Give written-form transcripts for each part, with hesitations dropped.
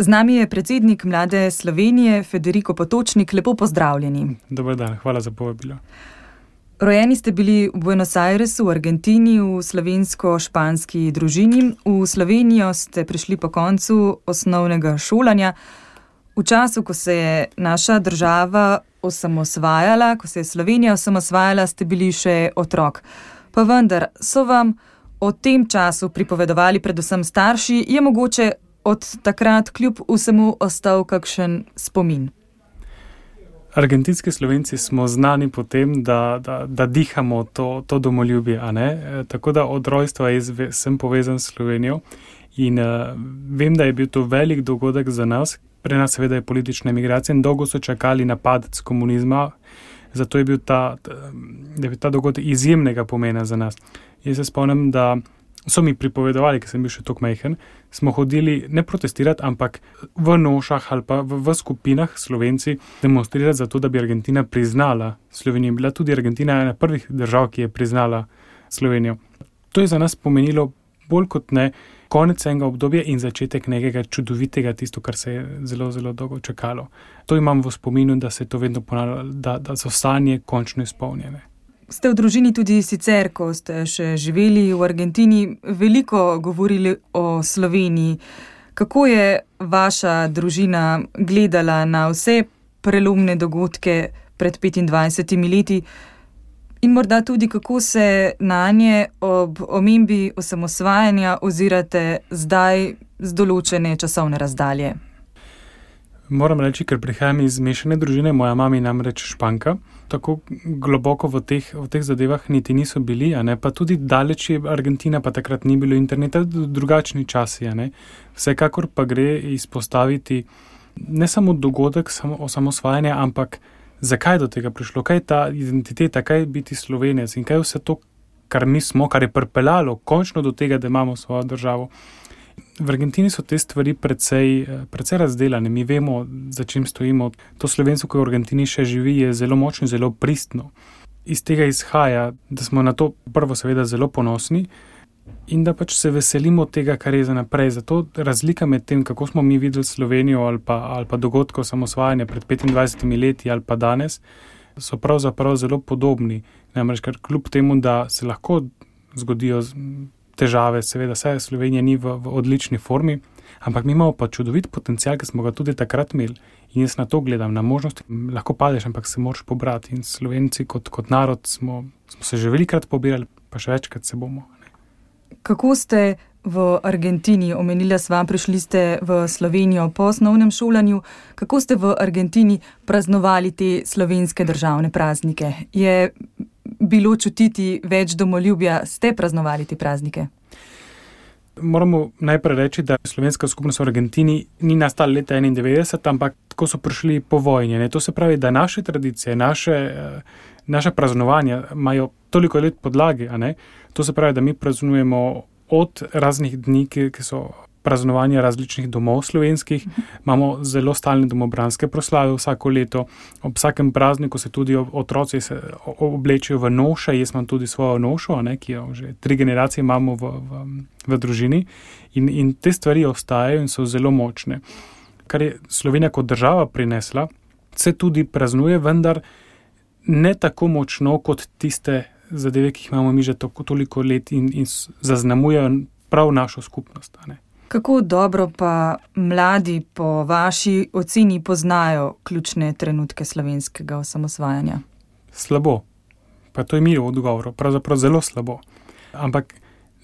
Z nami je predsednik Mlade Slovenije, Federico Potočnik. Lepo pozdravljeni. Dober dan, hvala za povabilo. Rojeni ste bili v Buenos Airesu, v Argentini, v slovensko-španski družini. V Slovenijo ste prišli po koncu osnovnega šolanja. V času, ko se je naša država osamosvajala, ko se je Slovenija osamosvajala, ste bili še otrok. Pa vendar so vam o tem času pripovedovali predvsem starši, je mogoče od takrat kljub vsemu ostal kakšen spomin? Argentinski Slovenci smo znani po tem, da dihamo to domoljubje, a ne? Tako da od rojstva sem povezan s Slovenijo in vem, da je bil to velik dogodek za nas. Pri nas seveda je politična emigracija in dolgo so čakali na padec komunizma, zato je bil ta dogodek izjemnega pomena za nas. Jaz se spomnim, da so mi pripovedovali, ker sem bil še toliko majhen, smo hodili ne protestirati, ampak v nošah ali pa v skupinah Slovenci demonstrirati za to, da bi Argentina priznala Slovenijo. Bila tudi Argentina ena prvih držav, ki je priznala Slovenijo. To je za nas pomenilo bolj kot ne konec enega obdobja in začetek nekega čudovitega, tisto, kar se je zelo, zelo dolgo čakalo. To imam v spominu, da se to vedno ponavlja, da so sanje končno izpolnjene. Ste v družini tudi sicer, ko ste še živeli v Argentini, veliko govorili o Sloveniji. Kako je vaša družina gledala na vse prelomne dogodke pred 25 leti in morda tudi kako se nanje ob omembi osamosvajanja ozirate zdaj z določene časovne razdalje? Moram reči, ker prihajam iz mešane družine, moja mama je namreč Španka, tako globoko v teh zadevah niti niso bili, a ne, pa tudi daleč je Argentina, pa takrat ni bilo interneta, drugačni časi, a ne. Vsekakor pa gre izpostaviti ne samo dogodek osamosvajanja, ampak zakaj do tega prišlo, kaj je ta identiteta, kaj je biti Slovenec in kaj je vse to, kar mi smo, kar je pripeljalo končno do tega, da imamo svojo državo. V Argentini so te stvari precej razdelane. Mi vemo, za čim stojimo. To slovenstvo, ki v Argentini še živi, je zelo močno, zelo pristno. Iz tega izhaja, da smo na to prvo seveda zelo ponosni in da pač se veselimo tega, kar je za naprej. Zato razlika med tem, kako smo mi videli Slovenijo ali pa dogodkov osamosvajanja pred 25 leti ali pa danes, so pravzaprav zelo podobni. Namreč, ker kljub temu, da se lahko zgodijo težave, seveda, saj Slovenija ni v odlični formi, ampak mi imamo pa čudovit potencial, ki smo ga tudi takrat imeli. In jaz na to gledam, na možnosti, lahko padeš, ampak se moraš pobrati. In Slovenci kot narod smo se že velikokrat pobirali, pa še večkrat se bomo. Ne. Kako ste v Argentini, omenila sva, prišli ste v Slovenijo po osnovnem šolanju, kako ste v Argentini praznovali te slovenske državne praznike? Je bilo čutiti več domoljubja, ste praznovali te praznike? Moramo najprej reči, da slovenska skupnost v Argentini ni nastala leta 1991, ampak tako so prišli po vojni. Ne? To se pravi, da naše tradicije, naše praznovanja imajo toliko let podlage. A ne? To se pravi, da mi praznujemo od raznih dni, ki so praznovanja različnih domov slovenskih. Imamo zelo stalne domobranske proslave vsako leto. Ob vsakem prazniku se tudi otroci oblečejo v noše. Jaz imam tudi svojo nošo, ki jo že 3 generacije imamo v družini. In te stvari ostajajo in so zelo močne. Kar je Slovenija kot država prinesla, se tudi praznuje, vendar ne tako močno kot tiste zadeve, ki jih imamo mi že toliko let in zaznamujejo prav našo skupnost. Kako dobro pa mladi po vaši oceni poznajo ključne trenutke slovenskega osamosvajanja? Slabo. Pa to je milo odgovor. Pravzaprav zelo slabo. Ampak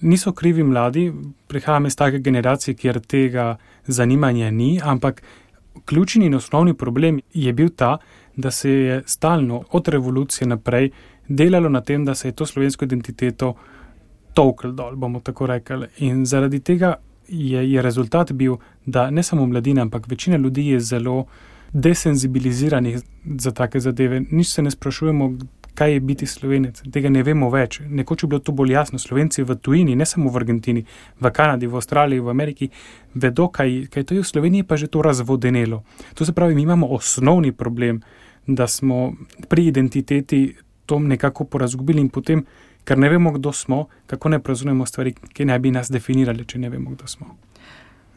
niso krivi mladi, prihajam iz take generacije, kjer tega zanimanja ni, ampak ključni in osnovni problem je bil ta, da se je stalno od revolucije naprej delalo na tem, da se je to slovensko identiteto tolklo dol, bomo tako rekli. In zaradi tega je rezultat bil, da ne samo mladina, ampak večina ljudi je zelo desenzibiliziranih za take zadeve. Nič se ne sprašujemo, kaj je biti Slovenec. Tega ne vemo več. Nekoč je bilo to bolj jasno. Slovenci v tujini, ne samo v Argentini, v Kanadi, v Avstraliji, v Ameriki, vedo, kaj to je. V Sloveniji pa že to razvodenelo. To se pravi, mi imamo osnovni problem, da smo pri identiteti to nekako porazgubili in potem, ker ne vemo, kdo smo, kako ne praznujemo stvari, ki naj bi nas definirali, če ne vemo, kdo smo.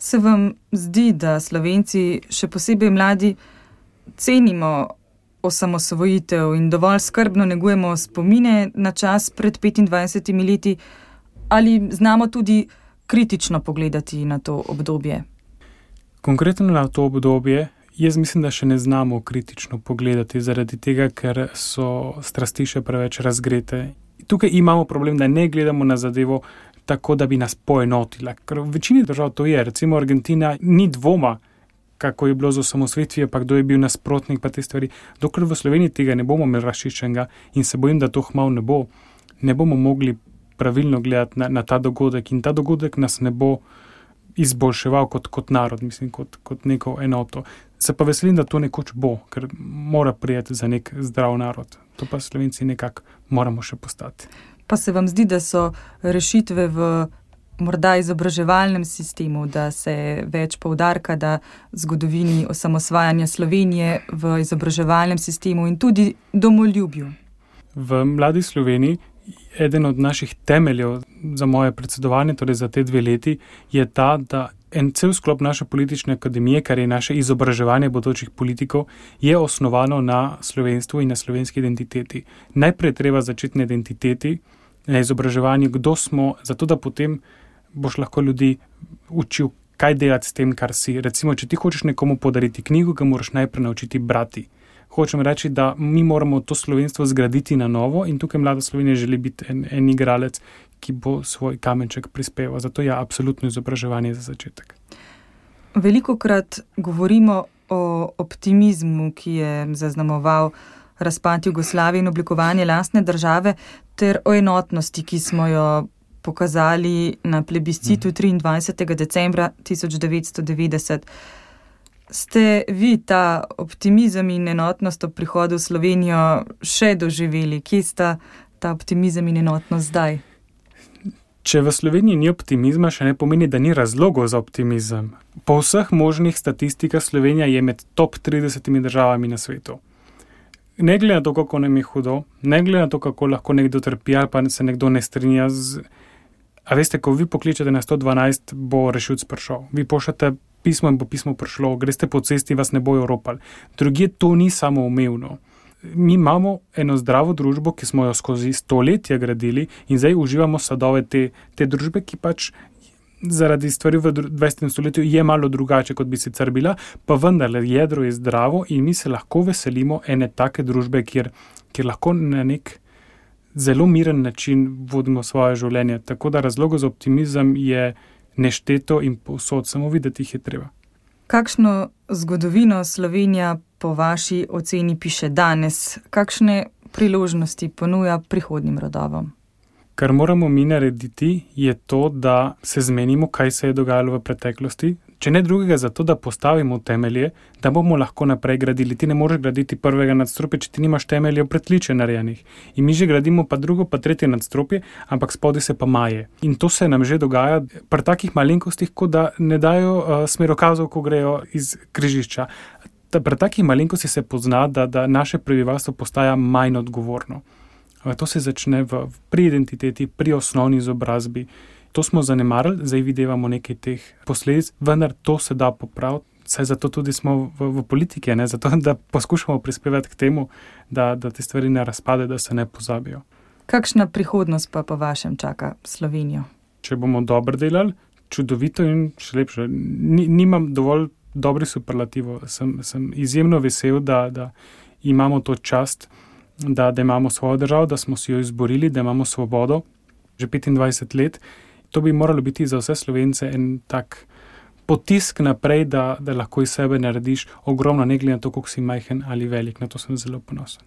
Se vam zdi, da Slovenci, še posebej mladi, cenimo osamosvojitev in dovolj skrbno negujemo spomine na čas pred 25 leti, ali znamo tudi kritično pogledati na to obdobje? Konkretno na to obdobje, jaz mislim, da še ne znamo kritično pogledati, zaradi tega, ker so strasti še preveč razgrete. Tukaj imamo problem, da ne gledamo na zadevo tako, da bi nas poenotila. Ker v večini držav to je. Recimo Argentina ni dvoma, kako je bilo z osamosvojitvijo, pa kdo je bil nasprotnik, pa te stvari. Dokler v Sloveniji tega ne bomo imeli razčiščenega in se bojim, da to kmalu ne bomo mogli pravilno gledati na ta dogodek in ta dogodek nas ne bo izboljševal kot narod, mislim, kot neko enoto. Se pa veselim, da to nekoč bo, ker mora prijeti za nek zdrav narod. To pa Slovenci nekako moramo še postati. Pa se vam zdi, da so rešitve v morda izobraževalnem sistemu, da se več poudarka da zgodovini osamosvajanja Slovenije v izobraževalnem sistemu in tudi domoljubju? V Mladi Sloveniji eden od naših temeljev za moje predsedovanje, torej za te 2 leti, je ta, da en cel sklop naše politične akademije, kar je naše izobraževanje bodočih politikov, je osnovano na slovenstvu in na slovenski identiteti. Najprej treba začeti na identiteti, na izobraževanju, kdo smo, zato da potem boš lahko ljudi učil, kaj delati s tem, kar si. Recimo, če ti hočeš nekomu podariti knjigo, ga moraš najprej naučiti brati. Hočem reči, da mi moramo to slovenstvo zgraditi na novo in tukaj Mlada Slovenija želi biti en igralec, ki bo svoj kamenček prispeval. Zato je absolutno izobraževanje za začetek. Velikokrat govorimo o optimizmu, ki je zaznamoval razpad Jugoslavije in oblikovanje lastne države, ter o enotnosti, ki smo jo pokazali na plebiscitu 23. decembra 1990. Ste vi ta optimizem in enotnost ob prihodu v Slovenijo še doživeli? Kje sta ta optimizem in enotnost zdaj? Če v Sloveniji ni optimizma, še ne pomeni, da ni razlogov za optimizem. Po vseh možnih statistikah Slovenija je med top 30 državami na svetu. Ne glede na to, kako nam je hudo, ne glede na to, kako lahko nekdo trpi ali pa se nekdo ne strinja z... A veste, ko vi pokličete na 112, bo rešilc prišel. Vi pošljete pismo in bo pismo prišlo, greste po cesti, vas ne bojo ropali. Drugje to ni samoumevno. Mi imamo eno zdravo družbo, ki smo jo skozi stoletja gradili in zdaj uživamo sadove te družbe, ki pač zaradi stvari v 20. stoletju je malo drugače, kot bi sicer bila, pa vendarle jedro je zdravo in mi se lahko veselimo ene take družbe, kjer lahko na nek zelo miren način vodimo svoje življenje. Tako da razlogov za optimizem je nešteto in povsod, samo videti jih je treba. Kakšno zgodovino Slovenija po vaši oceni piše danes? Kakšne priložnosti ponuja prihodnjim rodovom? Kar moramo mi narediti, je to, da se zmenimo, kaj se je dogajalo v preteklosti. Če ne drugega, zato da postavimo temelje, da bomo lahko naprej gradili. Ti ne moreš graditi prvega nadstropja, če ti nimaš temeljev pritličja narejenih. In mi že gradimo pa drugo, pa tretje nadstropje, ampak spodaj se pa maje. In to se nam že dogaja pri takih malenkostih, kot da ne dajo smerokazov, ko grejo iz križišča. Pri takih malenkostih se pozna, da naše prebivalstvo postaja manj odgovorno. To se začne pri identiteti, pri osnovni izobrazbi. To smo zanemarili, zdaj videvamo nekaj teh posledic, vendar to se da popraviti, saj zato tudi smo v politiki, ne? Zato da poskušamo prispevati k temu, da te stvari ne razpade, da se ne pozabijo. Kakšna prihodnost pa po vašem čaka Slovenijo? Če bomo dobro delali, čudovito in še lepše. Nimam dovolj dobrih superlativov. Sem izjemno vesel, da imamo to čast, da imamo svojo državo, da smo si jo izborili, da imamo svobodo že 25 let. To bi moralo biti za vse Slovence en tak potisk naprej, da lahko iz sebe narediš ogromno, ne glede na to, koliko si majhen ali velik. Na to sem zelo ponosen.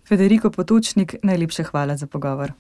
Federico Potočnik, najlepša hvala za pogovor.